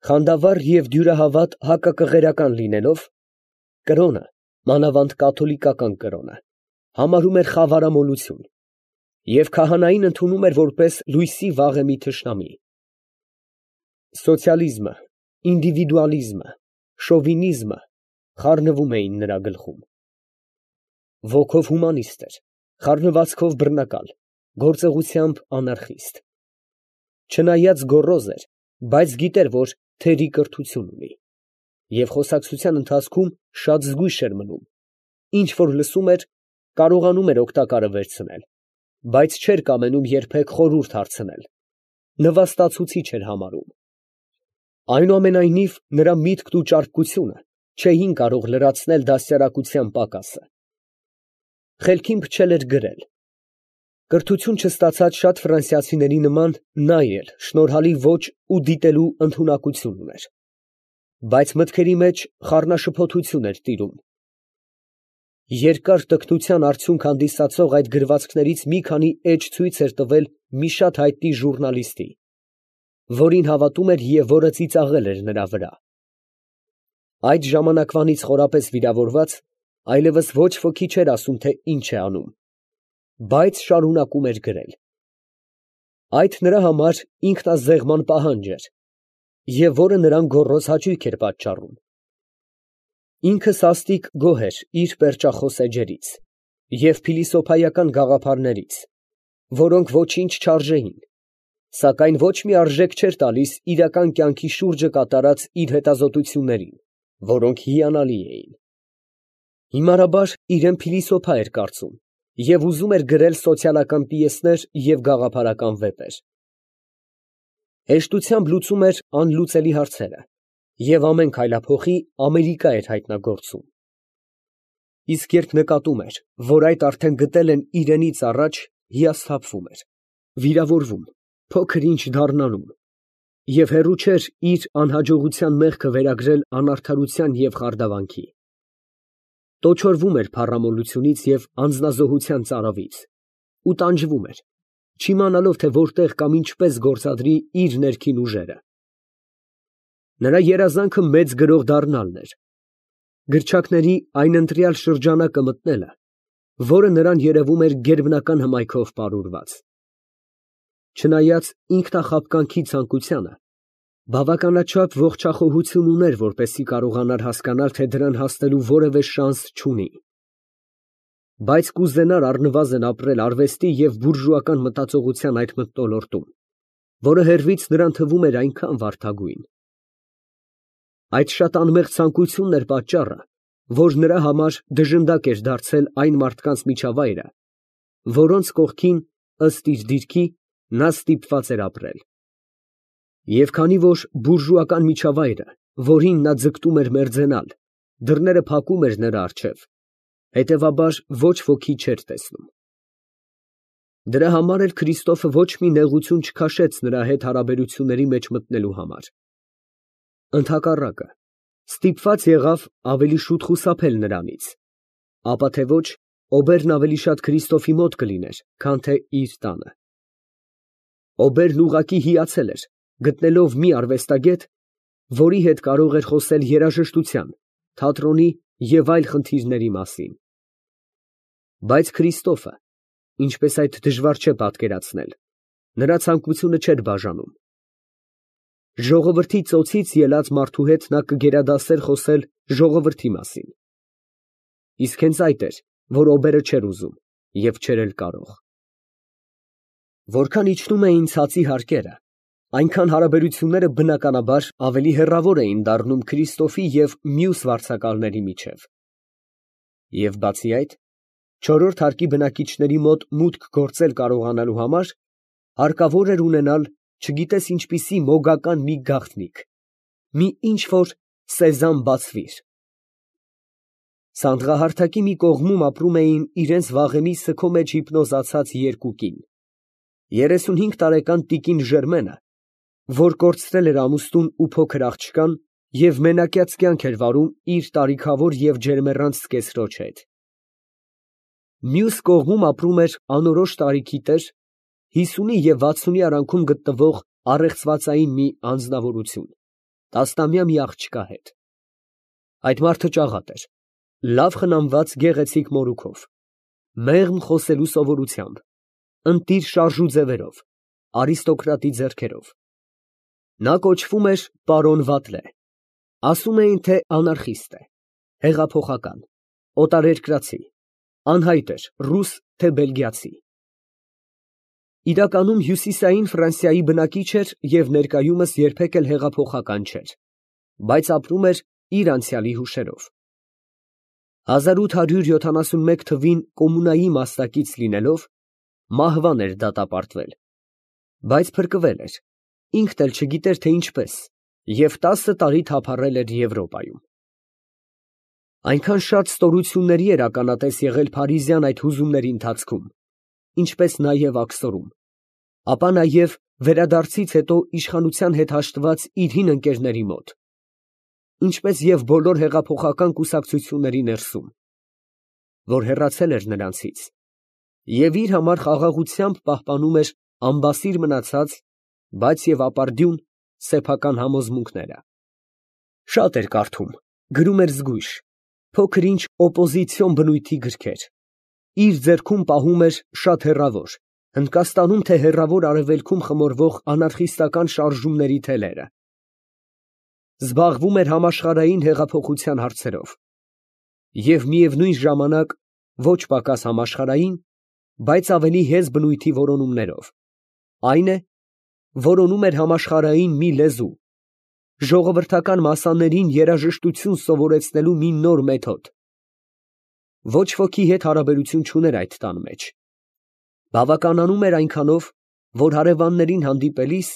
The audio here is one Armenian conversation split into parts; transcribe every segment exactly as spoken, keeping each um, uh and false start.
Խանդավառ և դյուրահավատ հակակղերական լինելով, կրոնը, մանավանդ կաթոլիկական կրոնը, համարում էր խավարամոլություն և քահանային ընդունում էր որպես լույսի վաղեմի թշնամի։ Սոցիալիզմը, ինդիվիդուալիզմը, շովինիզմը խառնվում էին նրա գլխում։ Ոգով հումանիստ էր, խառնվածքով բռնակալ, գործողությամբ անարխիստ։ Չնայած գոռոզ էր, բայց գիտեր, որ թերի կրթություն ունի, և խոսակցության ընթացքում շատ զգույշ էր մնում, ինչ որ լսում էր, կարողանում էր օգտակարը վերցնել, բայց չէր կամենում երբեք խորհուրդ հարցնել, նվաստացուցիչ էր համարում։ Այնուամենայնիվ, նրա միտքն ու ճարպկությունը չէին կարող լրացնել դաստիարակության պակասը։ Խելքին փչել էր գրել։ Կրթություն չստացած շատ ֆրանսիացիների նման նա էլ շնորհալի ոճ ու դիտելու ընդունակություն ուներ, բայց մտքերի մեջ խառնաշփոթություն էր տիրում։ Երկար տքնության արդյունք հանդիսացող այդ գրվածքներից մի քանի էջ ցույց էր տվել մի շատ հայտնի ժուռնալիստի, որին հավատում էր և որը ծիծաղել էր նրա վրա։ Այդ ժամանակվանից խորապես վիրավորված, այլևս ոչ ոքի չէր ասում, թե ինչ է անում, բայց շարունակում էր գրել։ Այդ նրա համար ինքնազեղման պահանջ էր, և որը նրան գոռոզ հաճույք էր պատճառում։ Ինքը սաստիկ գոհ էր իր պերճախոս էջերից և փիլիսոփայական գաղափարներից, որոնք ոչինչ չարժեին, սակայն ոչ մի արժեք չէր տալիս իրական կյանքի շուրջը կատարած իր հետազոտություններին, որոնք հիանալի էին։ Հիմարաբար իրան փիլիսոփա էր կարծում և ուզում էր գրել սոցիալական պիեսներ և գաղափարական վեպեր։ Հեշտությամբ լուծում էր անլուծելի հարցերը և ամեն քայլափոխի Ամերիկա էր հայտնագործում։ Իսկ երբ նկատում էր, որ այդ արդեն գտել են իրենից առաջ, հիասթափվում էր, վիրավորվում, փոքր ինչ դառնանում և հեռու չէր իր անհաջողության մեղքը վերագրել անարդարության և խարդավանքի։ Տոչորվում էր փառամոլությունից և անձնազոհության ծարավից ու տանջվում էր, չիմանալով, թե որտեղ կամ ինչպես գործադրի իր ներքին ուժերը։ Նրա երազանքը մեծ գրող դառնալն էր, գրչակների այն ընտրյալ շրջանակը մտնելը, որը նրան երևում էր գերբնական հմայքով պարուրված։ Չնայած ինքնախաբկանքի ցանկությանը, բավականաչափ ողջախոհություն ուներ, որպեսզի կարողանար հասկանալ, թե դրան հասնելու որևէ շանս չունի, բայց կուզենար առնվազն ապրել արվեստի և բուրժուական մտածողության այդ մթնոլորտում, որը հեռվից նրան թվում էր այնքան վարդագույն։ Այդ շատ անմեղ ցանկությունն էր պատճառը, որ նրա համար դժնդակ էր դարձել այն մարդկանց միջավայրը, որոնց կողքին, ըստ իր դիրքի, նա ստիպված էր ապրել։ Եվ քանի որ բուրժուական միջավայրը, որին նա ձգտում էր մերձենալ, դռները փակում էր նրա առջև, հետևաբար ոչ ոքի չէր տեսնում։ Դրա համար էլ Քրիստոֆը ոչ մի նեղություն չքաշեց նրա հետ հարաբերությունների մեջ մտնելու համար։ Ընդհակառակը, ստիպված եղավ ավելի շուտ խուսափել նրանից, ապա թե ոչ, Օբերն ավելի շատ Քրիստոֆի մոտ կլիներ, քան թե իր տանը։ Օբերն ուղղակի հիացել էր, գտնելով մի արվեստագետ, որի հետ կարող էր խոսել երաժշտության, թատրոնի և այլ խնդիրների մասին։ Բայց Քրիստոֆը, ինչպես այդ դժվար չէ պատկերացնել, նրա ցանկությունը չէր բաժանում։ Ժողովրդի ծոցից ելած մարդու հետ նա կգերադասեր խոսել ժողովրդի մասին։ Իսկ հենց այդ էր, որ Օբերը չէր ուզում և չէր էլ կարող։ Որքան իջնում էին ցածի հարկերը, այնքան հարաբերությունները բնականաբար ավելի հեռավոր էին դառնում Քրիստոֆի և մյուս վարձակալների միջև։ Եվ բացի այդ, չորրորդ հարկի բնակիչների մոտ մուտք գործել կարողանալու համար հարկավոր էր ունենալ չգիտես ինչպիսի մոգական մի գաղտնիք, մի ինչ֊որ սեզամ բացվիր։ Սանդղահարթակի մի կողմում ապրում էին իրենց վաղեմի սգո մեջ հիպնոզացած երկու կին. երեսունհինգ տարեկան տիկին Ժերմենը, որ կորցրել էր ամուսնուն ու փոքր աղջկան և մենակյաց կյանք էր վարում իր տարիքավոր և ջերմեռանդ զկեսրոջ հետ։ Մյուս կողմում ապրում էր անորոշ տարիքի տեր, հիսունի և վաթսունի արանքում գտնվող առեղծվածային մի անձնավորություն, տասնամյա մի աղջկա հետ։ Այդ մարդը ճաղատ էր, լավ խնամված գեղեցիկ մորուքով, մեղմ խոսելու սովորությամբ, ընտիր շարժու ձևերով, արիստոկրատի ձեռքերով։ Նա կոչվում էր պարոն Վատլե, ասում էին, թե անարխիստ է, հեղափոխական, օտարերկրացի, անհայտ էր ռուս, թե բելգիացի։ Իրականում հյուսիսային Ֆրանսիայի բնակիչ էր և ներկայումս երբեք էլ հեղափոխական չէր, բայց ապրում էր իր անցյալի հուշերով։ հազար ութ հարյուր յոթանասունմեկ թվին կոմունայի մասնակից լինելով, մահվան էր դատապարտվել, բայց փրկվել էր, ինքն էլ չգիտեր, թե ինչպես, և տասը տարի թափառել էր Եվրոպայում։ Այնքան շատ ստորությունների էր ականատես եղել Փարիզյան այդ հուզումների ընթացքում, ինչպես նաև աքսորում, ապա նաև վերադարձից հետո իշխանության հետ հաշտված իր հին ընկերների մոտ, ինչպես և բոլոր հեղափոխական կուսակցությունների ներսում, որ հեռացել էր նրանցից և իր համար խաղաղությամբ պահպանում էր անբասիր մնացած, բայց և ապարդյուն սեփական համոզմունքները։ Շատ էր կարդում, գրում էր զգույշ, փոքր-ինչ օպոզիցիոն բնույթի գրքեր, իր ձեռքում պահում էր շատ հեռավոր, Հնդկաստանում թե հեռավոր արևելքում խմորվող անարխիստական շարժումների թելերը։ Զբաղվում էր համաշխարհային հեղափոխության հարցերով և միևնույն ժամանակ ոչ պակաս համաշխարհային, բայց ավելի հեզ բնույթի որոնումներով, այն է, որոնում էր համաշխարհային մի լեզու, ժողովրդական մասսաներին երաժշտություն սովորեցնելու մի նոր մեթոդ։ Ոչ ոքի հետ հարաբերություն չուներ այդ տան մեջ, բավականանում էր այնքանով, որ հարևաններին հանդիպելիս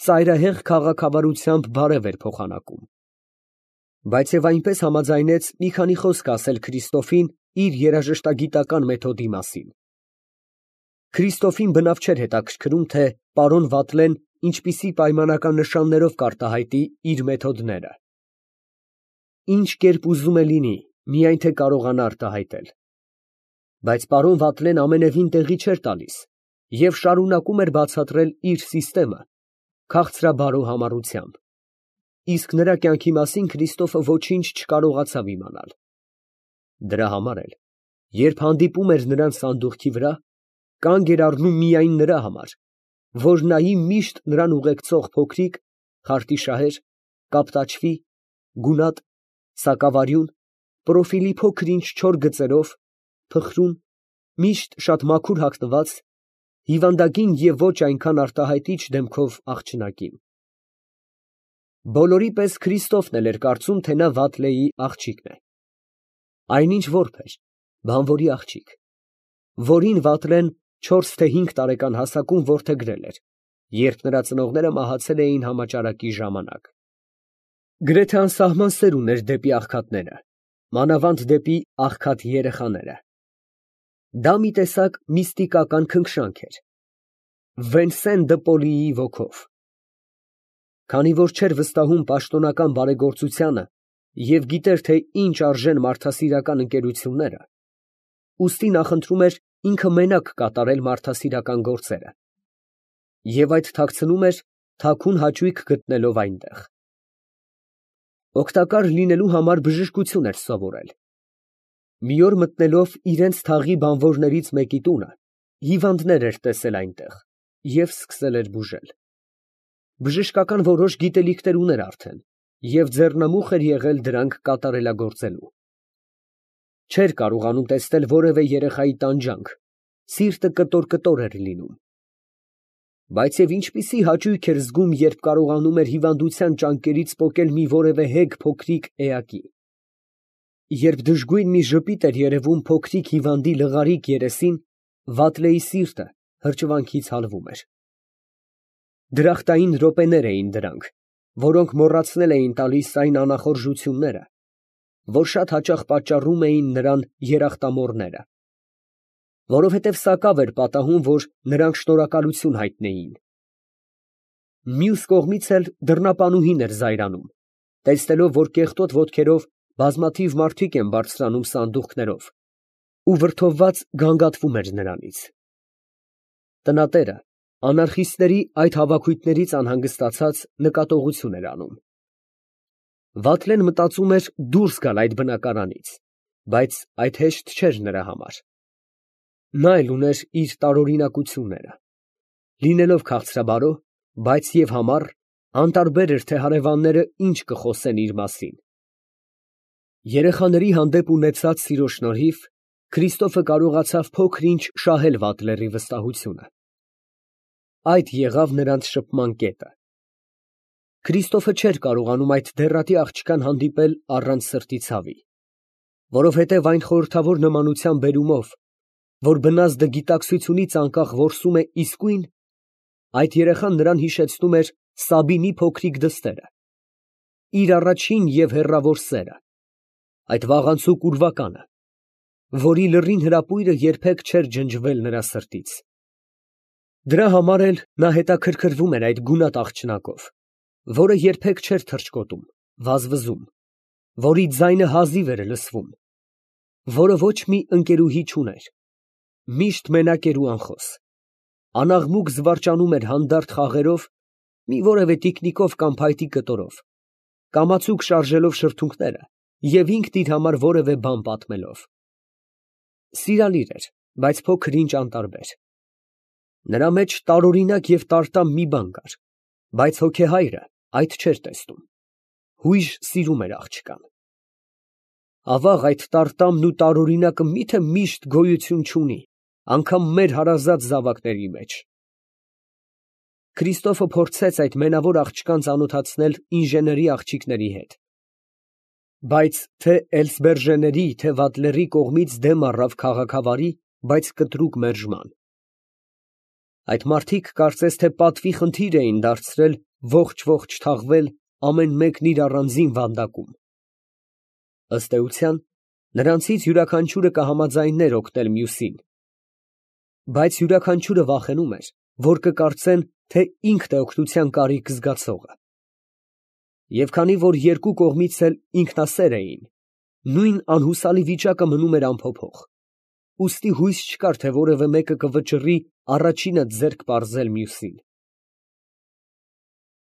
ծայրահեղ քաղաքավարությամբ բարև էր փոխանակում, բայց և այնպես համաձայնեց մի քանի խոսք ասել Քրիստոֆին իր երաժշտագիտական մեթոդի մասին։ Քրիստոֆին բնավ չէր հետաքրքրում, թե պարոն Վատլեն ինչպիսի պայմանական նշաններով կարտահայտի իր մեթոդները։ Ինչ կերպ ուզում է լինի, միայն թե կարողանա արտահայտել։ Բայց պարոն Վատլեն ամենևին տեղի չէր տալիս և շարունակում էր բացատրել իր սիստեմը քաղցրաբարո համառությամբ, իսկ նրա կյանքի մասին Քրիստոֆը ոչինչ չկարողացավ իմանալ։ Դրա համար էլ, երբ հանդիպում էր նրան սանդուղքի վրա, կանգ էր առնում միայն նրա համար, որ նայի միշտ նրան ուղեկցող փոքրիկ, խարտիշահեր, կապտաչվի, գունատ, սակավարյուն, պրոֆիլի փոքր֊ինչ չոր գծերով, փխրուն, միշտ շատ մաքուր հագնված, հիվանդագին և ոչ այնքան արտահայտիչ դեմքով աղջնակին։ Բոլորի պես Քրիստոֆն էլ էր կարծում, թե նա Վատլեի աղջիկն է։ Այնինչ որբ էր, բանվորի աղջիկ, որին Վատլեն չորս թե հինգ տարեկան հասակում որդեգրել էր, երբ նրա ծնողները մահացել էին համաճարակի ժամանակ։ Գրեթե անսահման սեր ուներ դեպի աղքատները, մանավանդ դեպի աղքատ երեխաները։ Դա մի տեսակ միստիկական քնքշանք էր, Վենսեն դը Պոլիի ոգով։ Քանի որ չէր վստահում պաշտոնական բարեգործությանը և գիտեր, թե ինչ արժեն մարդասիրական ընկերությունները, ուստի նախընտրում էր ինքը մենակ կատարել մարդասիրական գործերը և այդ թաքցնում էր թաքուն հաճույք գտնելով այնտեղ։ Օգտակար լինելու համար բժշկություն էր սովորել։ Մի օր մտնելով իրենց թաղի բանվորներից մեկի տունը, հիվանդներ էր տեսել այնտեղ և սկսել էր բուժել։ Բժշկական որոշ գիտելիքներ ուներ արդեն և ձեռնամուխ էր եղել դրանք կատարելագործելու։ Չէր կարողանում տեսնել որևէ երեխայի տանջանք, սիրտը կտոր֊կտոր էր լինում։ Բայց և ինչպիսի հաճույք էր զգում, երբ կարողանում էր հիվանդության ճանկերից պոկել մի որևէ հեգ փոքրիկ էակի։ Երբ դժգույն մի ժպիտ էր երևում փոքրիկ հիվանդի լղարիկ երեսին, Վատլեի սիրտը հրճվանքից հալվում էր։ Դրախտային րոպեներ էին դրանք, որոնք մոռացնել էին տալիս այն անախորժությունները, որ շատ հաճախ պատճառում էին նրան երախտամոռները, որովհետև սակավ էր պատահում, որ նրանք շնորհակալություն հայտնեին։ Մյուս կողմից էլ դռնապանուհին էր զայրանում, տեսնելով, որ կեղտոտ ոտքերով բազմաթիվ մարդիկ են բարձրանում սանդուղքներով ու վրդովված գանգատվում էր նրանից։ Տնատերը անարխիստների այդ հավաքույթներից անհանգստացած նկատողություն էր անում։ Վատլեն մտածում էր դուրս գալ այդ բնակարանից, բայց այդ հեշտ չէր նրա համար. նա էլ ուներ իր տարօրինակությունները, լինելով քաղցրաբարո, բայց և համառ, անտարբեր էր, թե հարևանները ինչ կխոսեն իր մասին։ Երեխաների հանդեպ ունեցած սիրո շնորհիվ Քրիստոֆը կարողացավ փոքր֊ինչ շահել Վատլերի վստահությունը։ Այդ եղավ նրանց շփման կետը։ Քրիստոֆը չէր կարողանում այդ դեռատի աղջկան հանդիպել առանց սրտի ցավի, որովհետև այն խորհրդավոր նմանության բերումով, որ բնազդը գիտակցությունից անկախ որսում է իսկույն, այդ երեխան նրան հիշեցնում էր Սաբինի փոքրիկ դստերը, իր առաջին և հեռավոր սերը, այդ վաղանցուկ ուրվականը, որի լռին հրապույրը երբեք չէր ջնջվել նրա սրտից։ Դրա համար էլ նա հետաքրքրվում էր այդ գունատ աղջնակով, որը երբեք չէր թռչկոտում, վազվզում, որի ձայնը հազիվ էր լսվում, որը ոչ մի ընկերուհի չուներ, միշտ մենակ էր ու անխոս, անաղմուկ զվարճանում էր հանդարտ խաղերով, մի որևէ տիկնիկով կամ փայտի կտորով, կամացուկ շարժելով շրթունքները և ինքն իր համար որևէ բան պատմելով։ Սիրալիր էր, բայց փոքր֊ինչ անտարբեր։ Նրա մեջ տարօրինակ և տարտամ մի բան կար, բայց հոգեհայրը այդ չէր տեսնում, հույժ սիրում էր աղջկան։ Ավաղ, այդ տարտամն ու տարօրինակը մի՞թե միշտ գոյություն չունի, անգամ մեր հարազատ զավակների մեջ։ Քրիստոֆը փորձեց այդ մենավոր աղջկան ծանոթացնել ինժեների աղջիկների հետ, բայց թե Էլսբերժեների, թե Վատլերի կողմից դեմ առավ քաղաքավարի, բայց կտրուկ մերժման։ Այդ մարդիկ կարծես թե պատվի խնդիր էին դարձրել ողջ֊ողջ թաղվել ամեն մեկն իր առանձին վանդակում։ Ըստ էության, նրանցից յուրաքանչյուրը կհամաձայներ օգնել մյուսին, բայց յուրաքանչյուրը վախենում էր, որ կկարծեն, թե ինքն է օգնության կարիք զգացողը։ Եվ քանի որ երկու կողմից էլ ինքնասեր էին, նույն անհուսալի վիճակը մնում էր անփոփոխ, ուստի հույս չկար, թե որևէ մեկը կվճռի առաջինը ձեռք պարզել մյուսին։